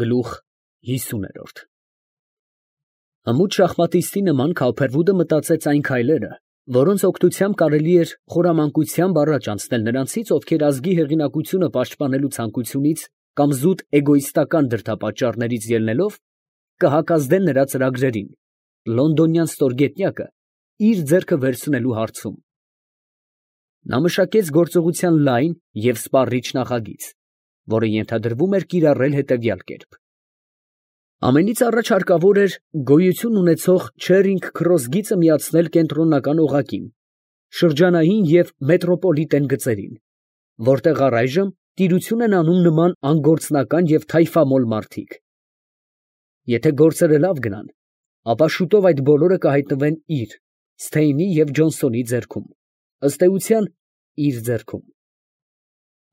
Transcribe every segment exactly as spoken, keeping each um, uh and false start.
Գլուխ հիսուն։ Հմուտ շախմատիստի նման Քավփերվուդը մտածեց այն քայլերը, որոնց օգնությամբ կարելի էր խորամանկությամբ առաջ անցնել նրանցից, ովքեր ազգի հեղինակությունը պաշտպանելու ցանկությունից կամ զուտ էգոիստական դրդապատճառներից ելնելով, կհակազդեն նրա ծրագրերին, լոնդոնյան ստորգետնյակը իր ձեռքը վերցնելու հարցում։ Նա մշակեց գործողության լայն և սպառիչ նախագիծ, որը ենթադրվում էր կիրառել հետևյալ կերպ. ամենից առաջ հարկավոր էր գոյություն ունեցող Չերինգ քրոս գիծը միացնել կենտրոնական օղակին, շրջանային և մետրոպոլիտեն գծերին, որտեղ առայժմ տիրություն են անում նման անգործնական և թայֆամոլ մարդիկ։ Եթե գործերը լավ գնան, ապա շուտով այդ բոլորը կհայտնվեն իր՝ Սթեյնի և Ջոնսոնի ձեռքում, ըստ էության իր ձեռքում։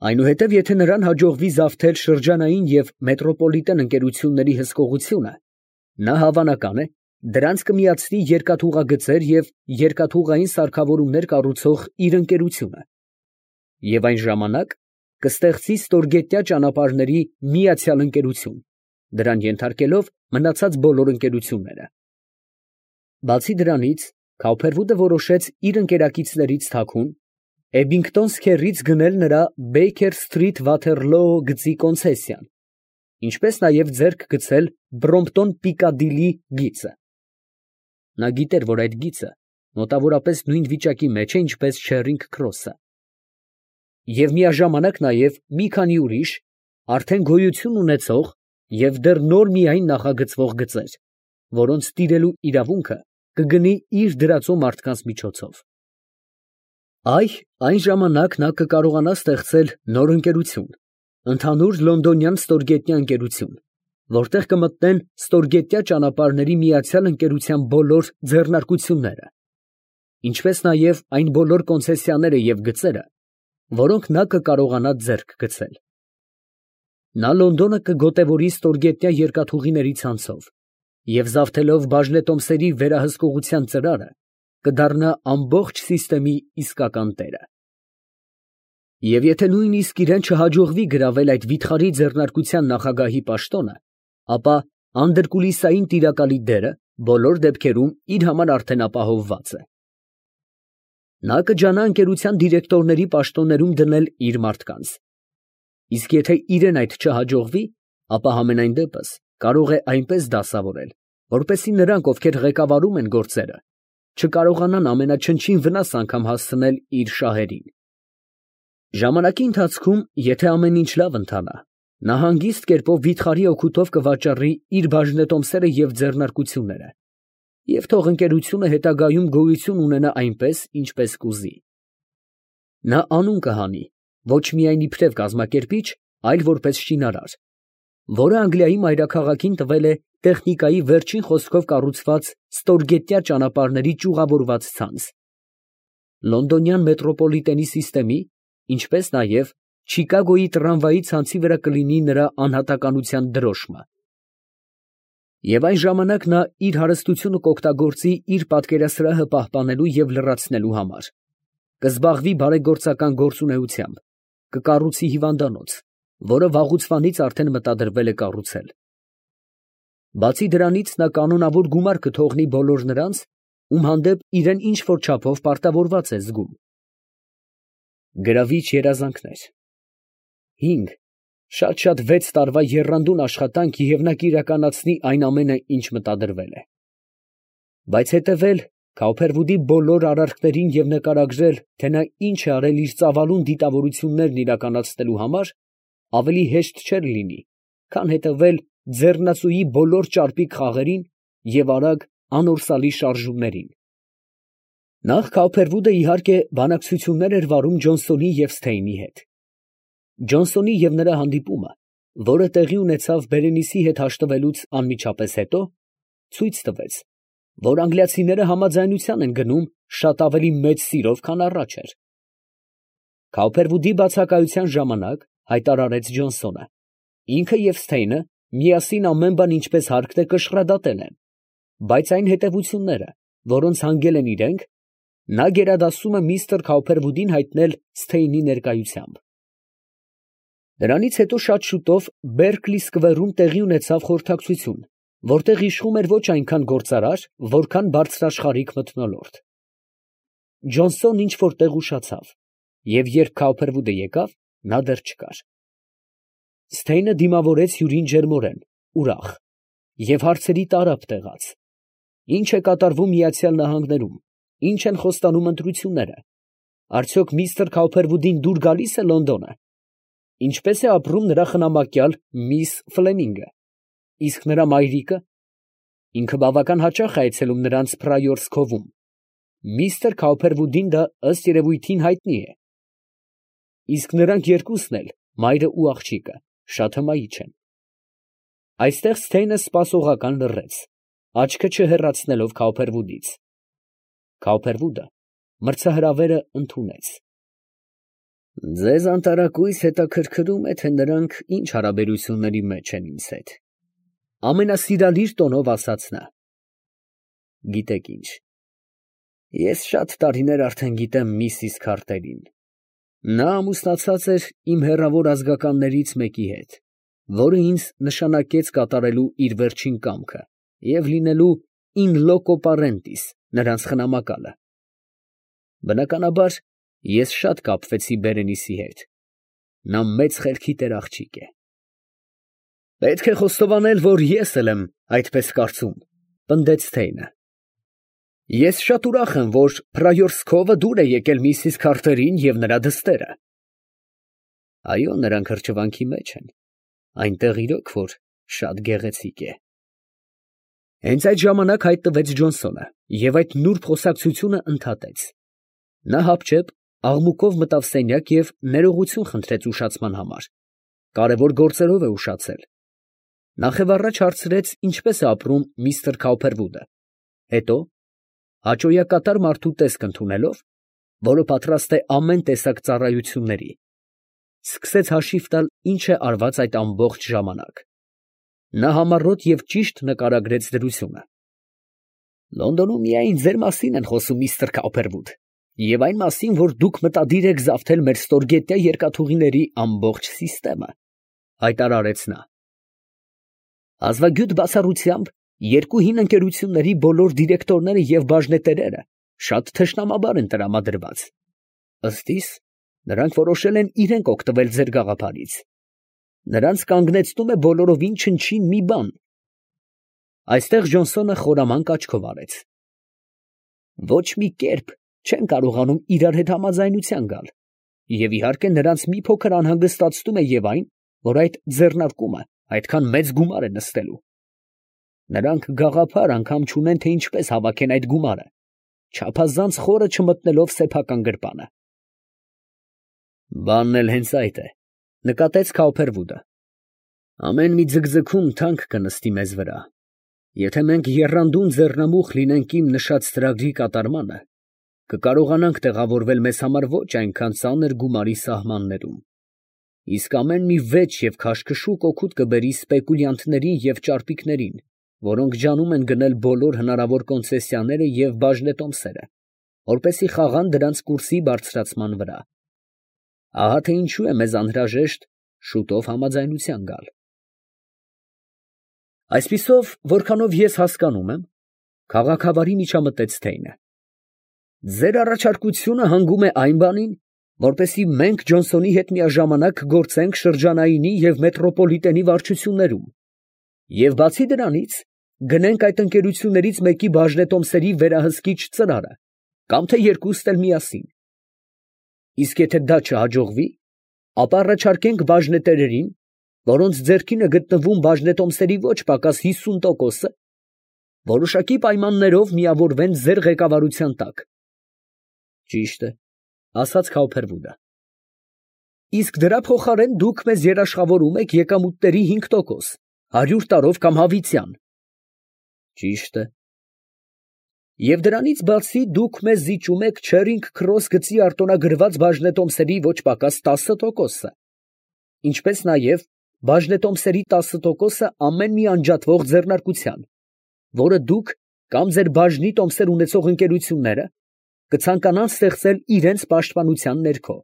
Այնուհետև եթե նրան հաջողվի զավթել շրջանային և մետրոպոլիտեն ընկերությունների հսկողությունը, նա հավանական է, դրանց կմիացնի երկաթուղագծեր և երկաթուղային սարքավորումներ կառուցող իր ընկերությունը, և այն ժամանակ կստեղծի ստորգետնյա ճանապարհների միացյալ ընկերություն, դրան ենթարկելով մնացած բոլոր ընկերությունները։ Բացի դրանից, Քավփերվուդը որոշեց իր ընկերակիցներից թաքուն Էբինգտոն սքեռից գնել նրա Բեյքեր Սթրիթ Վաթերլոո գծի կոնցեսիան, ինչպես նաև ձեռք գցել Բրոմպտոն Պիկադիլի գիծը։ Նա գիտեր, որ այդ գիծը մոտավորապես նույն վիճակի մեջ է, ինչպես Չերինգ քրոսը, և միաժամանակ նաև մի քանի ուրիշ, արդեն գոյություն ունեցող և դեռ նոր միայն նախագծվող գծեր, որոնց տիրելու իրավունքը կգնի իր դրածո մարդկանց միջոցով։ Այ այն ժամանակ նա կկարողանա ստեղծել նոր ընկերություն, ընդհանուր լոնդոնյան ստորգետնյա ընկերություն, որտեղ կմտնեն ստորգետնյա ճանապարհների միացյալ ընկերության բոլոր ձեռնարկությունները, ինչպես նաև այն բոլոր կոնցեսիաները և գծերը, որոնք նա կկարողանա ձեռք գցել։ Նա Լոնդոնը կգոտևորի ստորգետնյա երկաթուղիների ցանցով և զավթելով բաժնետոմսերի վերահսկողության ծրարը, կդառնա ամբողջ սիստեմի իսկական տերը։ Եվ եթե նույնիսկ իրան չհաջողվի գրավել այդ վիթխարի ձեռնարկության նախագահի պաշտոնը, ապա անդրկուլիսային տիրակալի դերը բոլոր դեպքերում իր համար արդեն ապահովված է։ Նա կջանա ընկերության դիրեկտորների պաշտոններում դնել իր մարդկանց, իսկ եթե իրան այդ չհաջողվի, ապա համենայն դեպս կարող է այնպես դասավորել, որպեսզի նրանք, ովքեր ղեկավարում են գործերը, չկարողանան ամենաչնչին վնաս անգամ հասցնել իր շահերին։ Ժամանակի ընթացքում, եթե ամեն ինչ լավ ընթանա, նա հանգիստ կերպով վիթխարի օգուտով կվաճառի իր բաժնետոմսերը և ձեռնարկությունները, և թող ընկերությունը հետագայում գոյություն ունենա այնպես, ինչպես կուզի։ Նա անուն կհանի ոչ միայն իբրև կազմակերպիչ, այլ որպես շինարար, որը Անգլիայի մայրաքաղաքին տվել է տեխնիկայի վերջին խոսքով կառուցված ստորգետնյա ճանապարհների ճյուղավորված ցանց, լոնդոնյան մետրոպոլիտենի սիստեմի, ինչպես նաև Չիկագոյի տրամվայի ցանցի վրա կլինի նրա անհատականության դրոշմը։ Եվ այն ժամանակ նա իր հարստությունը կօգտագործի իր պատկերասրահը պահպանելու և լրացնելու համար, կզբաղվի բարեգործական գործունեությամբ, կկառուցի հիվանդանոց, որը վաղուցվանից արդեն մտադրվել է կառուցել։ Բացի դրանից նա կանոնավոր գումար կթողնի բոլոր նրանց, ում հանդեպ իրան ինչ֊որ չափով պարտավորված է զգում։ Գրավիչ երազանքներ։ Հինգ, շատ֊շատ վեց տարվա եռանդուն աշխատանք և նա կիրականացնի այն ամենը, ինչ մտադրվել է։ Բայց հետևել Քավփերվուդի բոլոր արարքներին և նկարագրել, թե նա ինչ է արել իր ծավալուն դիտավորություններն իրականացնելու համար, ավելի հեշտ չէր լինի, քան հետևել ձեռնածուի բոլոր ճարպիկ խաղերին և արագ, անորսալի շարժումներին։ Նախ Քավփերվուդը, իհարկե, բանակցություններ էր վարում Ջոնսոնի և Սթեյնի հետ։ Ջոնսոնի և նրա հանդիպումը, որը տեղի ունեցավ Բերենիսի հետ հաշտվելուց անմիջապես հետո, ցույց տվեց, որ անգլիացիները համաձայնության են գնում շատ ավելի մեծ սիրով, քան առաջ էր։ Քավփերվուդի բացակայության ժամանակ հայտարարեց Ջոնսոնը, ինքը և Սթեյնը միասին ամեն բան ինչպես հարկն է կշռադատել են, բայց այն հետևությունները, որոնց հանգել են իրենք, նա գերադասում է միստր Քավփերվուդին հայտնել Սթեյնի ներկայությամբ։ Դրանից հետո շատ շուտով Բերկլի սկվերում տեղի ունեցավ խորհրդակցություն, որտեղ իշխում էր ոչ այնքան գործարար, որքան բարձրաշխարհիկ մթնոլորտ։ Ջոնսոնն ինչ որ տեղ ուշացավ, և երբ Քաուփերվուդը եկավ, նա դեռ չկար։ Սթեյնը դիմավորեց հյուրին ջերմորեն, ուրախ և հարցերի տարափ տեղաց. ի՞նչ է կատարվում Միացյալ Նահանգներում, ի՞նչ են խոստանում ընտրությունները, արդյոք միստր Քաուփերվուդին դուր գալի՞ս է Լոնդոնը, ինչպե՞ս է ապրում նրա խնամակյալ միս Ֆլեմինգը, իսկ նրա մայրիկը, ինքը բավական հաճախ է այցելում նրանց Փրայորս Քովում, միստր Քաուփերվուդին դա ըստ երևույթին հայտնի է, իսկ նրանք երկուսն էլ, մայրը ու աղջիկը, շատ հմայիչ են։ Այստեղ Սթեյնը սպասողական լռեց, աչքը չհեռացնելով Քաուփերվուդից։ Քաուփերվուդը մրցահրավերը ընդունեց։ Ձեզ անտարակույս հետաքրքրում է, թե նրանք ինչ հարաբերությունների մեջ են ինձ հետ, ամենասիրալիր տոնով ասաց նա։ Գիտեք ինչ, ես շատ տարիներ արդեն գիտեմ միսիս Քարտերին։ Նա ամուսնացած էր իմ հեռավոր ազգականներից մեկի հետ, որը ինձ նշանակեց կատարելու իր վերջին կամքը և լինելու in loco parentis նրանց խնամակալը։ Բնականաբար, ես շատ կապվեցի Բերենիսի հետ. նա մեծ խելքի տեր աղջիկ է։ Պետք է խոստովանել, որ ես էլ եմ այդպես կարծում, պնդեց Սթեյնը։ Ես շատ ուրախ եմ, որ Փրայորս Քովը դուր է եկել միսիս Քարտերին և նրա դստերը։ Այո, նրանք հրճվանքի մեջ են, այնտեղ իրոք որ շատ գեղեցիկ է։ Հենց այդ ժամանակ հայտնվեց Ջոնսոնը և այդ նուրբ խոսակցությունը ընդհատեց։ Նա հապճեպ աղմուկով մտավ սենյակ և ներողություն խնդրեց ուշացման համար, կարևոր գործերով է ուշացել։ Նախևառաջ հարցրեց ինչպես է ապրում միստր Քաուփերվուդը, հետո, հաճոյակատար մարդու տեսք ընդունելով, որը պատրաստ է ամեն տեսակ ծառայությունների, սկսեց հաշիվ տալ ինչ է արված այդ ամբողջ ժամանակ։ Նա համառոտ և ճիշտ նկարագրեց դրությունը։ Լոնդոնում միայն ձեր մասին են խոսում, միստր Քաուփերվուդ, և այն մասին, որ դուք մտադիր եք զավթել մեր ստորգետնյա երկաթուղիների ամբողջ սիստեմը, հայտարարեց նա։ Ազվագյուտ բացառությամբ երկու հին ընկերությունների բոլոր դիրեկտորները և բաժնետերերը շատ թշնամաբար են տրամադրված։ Ըստ իս, նրանք որոշել են իրենք օգտվել ձեր գաղափարից։ Նրանց կանգնեցնում է բոլորովին չնչին մի բան։ Այստեղ Ջոնսոնը խորամանկ աչքով արեց։ Ոչ մի կերպ չեն կարողանում իրար հետ համաձայնության գալ, և իհարկե նրանց մի փոքր անհանգստացնում է և այն, որ այդ ձեռնարկումը այդքան մեծ գումար է նստելու։ Նրանք գաղափար անգամ չունեն, թե ինչպես հավաքեն այդ գումարը, չափազանց խորը չմտնելով սեփական գրպանը։ Բանն էլ հենց այդ է, նկատեց Քաուփերվուդը։ Ամեն մի ձգձգում թանկ կնստի մեզ վրա։ Եթե մենք եռանդուն ձեռնամուխ լինենք իմ նշած ծրագրի կատարմանը, կկարողանանք տեղավորվել մեզ համար ոչ այնքան ծանր գումարի սահմաններում, իսկ ամեն մի վեճ և քաշքշուկ օգուտ կբերի սպեկուլյանտներին և ճարպիկներին, որոնք ջանում են գնել բոլոր հնարավոր կոնցեսիաները և բաժնետոմսերը, որպեսզի խաղան դրանց կուրսի բարձրացման վրա։ Ահա թե ինչու է մեզ անհրաժեշտ շուտով համաձայնության գալ։ Այսպիսով, որքանով ես հասկանում եմ, քաղաքավարի միջամտեց Սթեյնը, ձեր առաջարկությունը հանգում է այն բանին, որպեսզի մենք Ջոնսոնի հետ միաժամանակ գործենք շրջանայինի և մետրոպոլիտենի վարչություններում, և բացի դրանից, գնենք այդ ընկերություններից մեկի բաժնետոմսերի վերահսկիչ ծրարը, կամ թե երկուստ էլ միասին։ Իսկ եթե դա չհաջողվի, ապա առաջարկենք բաժնետերերին, որոնց ձեռքին է գտնվում բաժնետոմսերի ոչ պակաս հիսուն տոկոսը, որոշակի պայմաններով միավորվեն ձեր ղեկավարության տակ։ Ճիշտ է, ասաց Քաուփերվուդը։ Իսկ դրա փոխարեն դուք մեզ երաշխավորում եք եկամուտների հինգ տոկոս, հարյուր տարով կամ հավիտյան։ Ճիշտ է։ Եվ դրանից բացի դուք մեզ զիջում եք Չերինգ Քրոս գծի արտոնագրված բաժնետոմսերի ոչ պակաս տասը տոկոսը, ինչպես նաև բաժնետոմսերի տասը տոկոսը ամեն մի անջատվող ձեռնարկության, որը դուք կամ ձեր բաժնի տոմսեր ունեցող ընկերությունները կցանկանան ստեղծել իրանց պաշտպանության ներքո։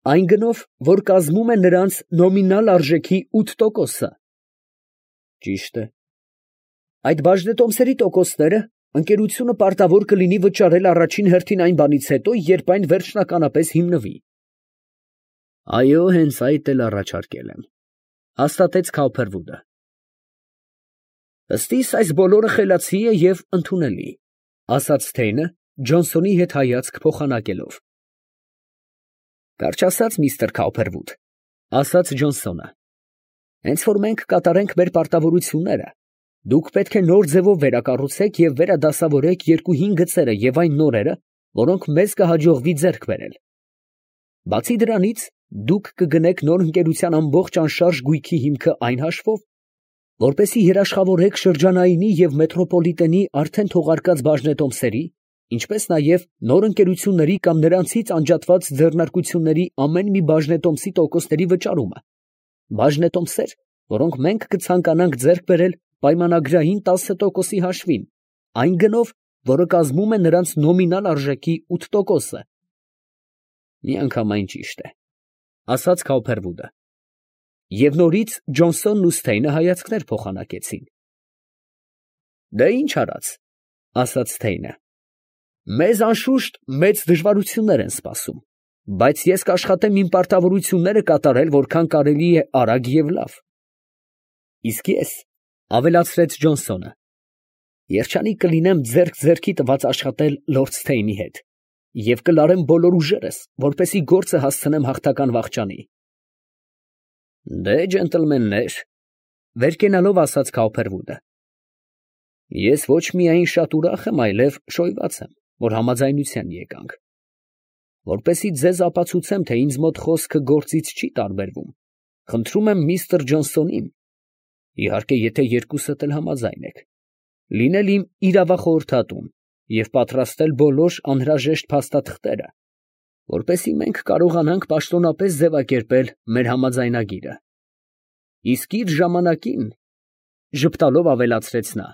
Այն գնով, որ կազմում է նրանց նոմինալ արժեքի ութ տոկոսը։ Ճիշտ է։ Այդ բաժնետոմսերի տոկոսները ընկերությունը պարտավոր կլինի վճարել առաջին հերթին այն բանից հետո, երբ այն վերջնականապես հիմնվի։ Այո, հենց այդ էլ առաջարկել եմ, հաստատեց Քաուփերվուդը։ Ըստ իս այս բոլորը խելացի է և ընդունելի, ասաց Սթեյնը, Ջոնսոնի հետ հայացք փոխանակելով։ Կարճ ասած, միստր Քաուփերվուդ, ասաց Ջոնսոնը, հենց որ մենք կատարենք մեր պարտավորությունները, դուք պետք է նոր ձևով վերակառուցեք և վերադասավորեք երկու հին գծերը և այն նորերը, որոնք մեզ կհաջողվի ձեռք բերել։ Բացի դրանից, դուք կգնեք նոր ընկերության ամբողջ անշարժ գույքի հիմքը այն հաշվով, որպեսզի երաշխավորեք շրջանայինի և մետրոպոլիտենի արդեն թողարկած բաժնետոմսերի, ինչպես նաև նոր ընկերությունների կամ նրանցից անջատված ձեռնարկությունների ամեն մի բաժնետոմսի տոկոսների վճարումը, բաժնետոմսեր, որոնք մենք կցանկանանք ձեռք բերել պայմանագրային տասը տոկոսի հաշվին, այն գնով, որը կազմում է նրանց նոմինալ արժեքի ութ տոկոսը։ Միանգամայն ճիշտ է, ասաց Քաուփերվուդը։ Եվ նորից Ջոնսոնն ու Սթեյնը հայացքներ փոխանակեցին։ Դե ինչ արած, ասաց Սթեյնը, մեզ անշուշտ մեծ դժվարություններ են սպասում, բայց ես կաշխատեմ իմ պարտավորությունները կատարել որքան կարելի է արագ և լավ։ Իսկ ես, ավելացրեց Ջոնսոնը, երջանիկ կլինեմ ձեռք ձեռքի տված աշխատել լորդ Սթեյնի հետ և կլարեմ բոլոր ուժերս, որպեսզի գործը հասցնեմ հաղթական վախճանի։ Դե, ջենտլմեններ, վեր կենալով ասաց Քաուփերվուդը, ես ոչ միայն շատ ուրախ եմ, այլև շոյված եմ, որ համաձայնության եկանք։ Որպեսզի ձեզ ապացուցեմ, թե ինձ մոտ խոսքը գործից չի տարբերվում, խնդրում եմ միստր Ջոնսոնին, իհարկե, եթե երկուսդ էլ համաձայն եք, լինել իմ իրավախորհրդատուն և պատրաստել բոլոր անհրաժեշտ փաստաթղթերը, որպեսզի մենք կարողանանք պաշտոնապես ձևակերպել մեր համաձայնագիրը։ Իսկ իր ժամանակին, ժպտալով ավելացրեց նա,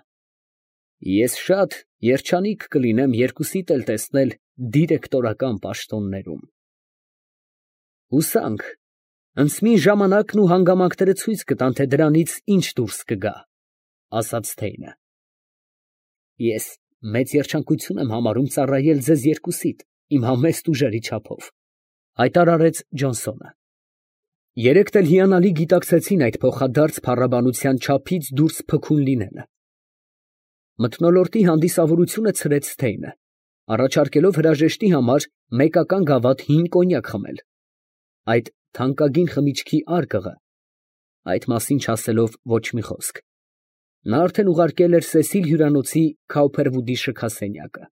ես շատ երջանիկ կլինեմ երկուսիդ էլ տեսնել դիրեկտորական պաշտոններում։ Հուսանք, ընծմի ժամանակն ու հանգամանքները ցույց կտան, թե դրանից ինչ դուրս կգա, ասաց Սթեյնը։ Ես մեծ երջանկություն եմ համարում ծառայել ձեզ երկուսիդ իմ համեստ ուժերի չափով, հայտարարեց Ջոնսոնը։ Երեքդ էլ հիանալի գիտակցեցին այդ փոխադարձ փառաբանության չափից դուրս փքուն լինելը։ Մթնոլորտի հանդիսավորությունը ցրեց Սթեյնը, առաջարկելով հրաժեշտի համար մեկական գավաթ հին կոնյակ խմել, այդ թանկագին խմիչքի արկղը, այդ մասին չասելով ոչ մի խոսք, նա արդեն ուղարկել էր Սեսիլ հյուրանոցի Քաուփերվուդի շքասենյակը։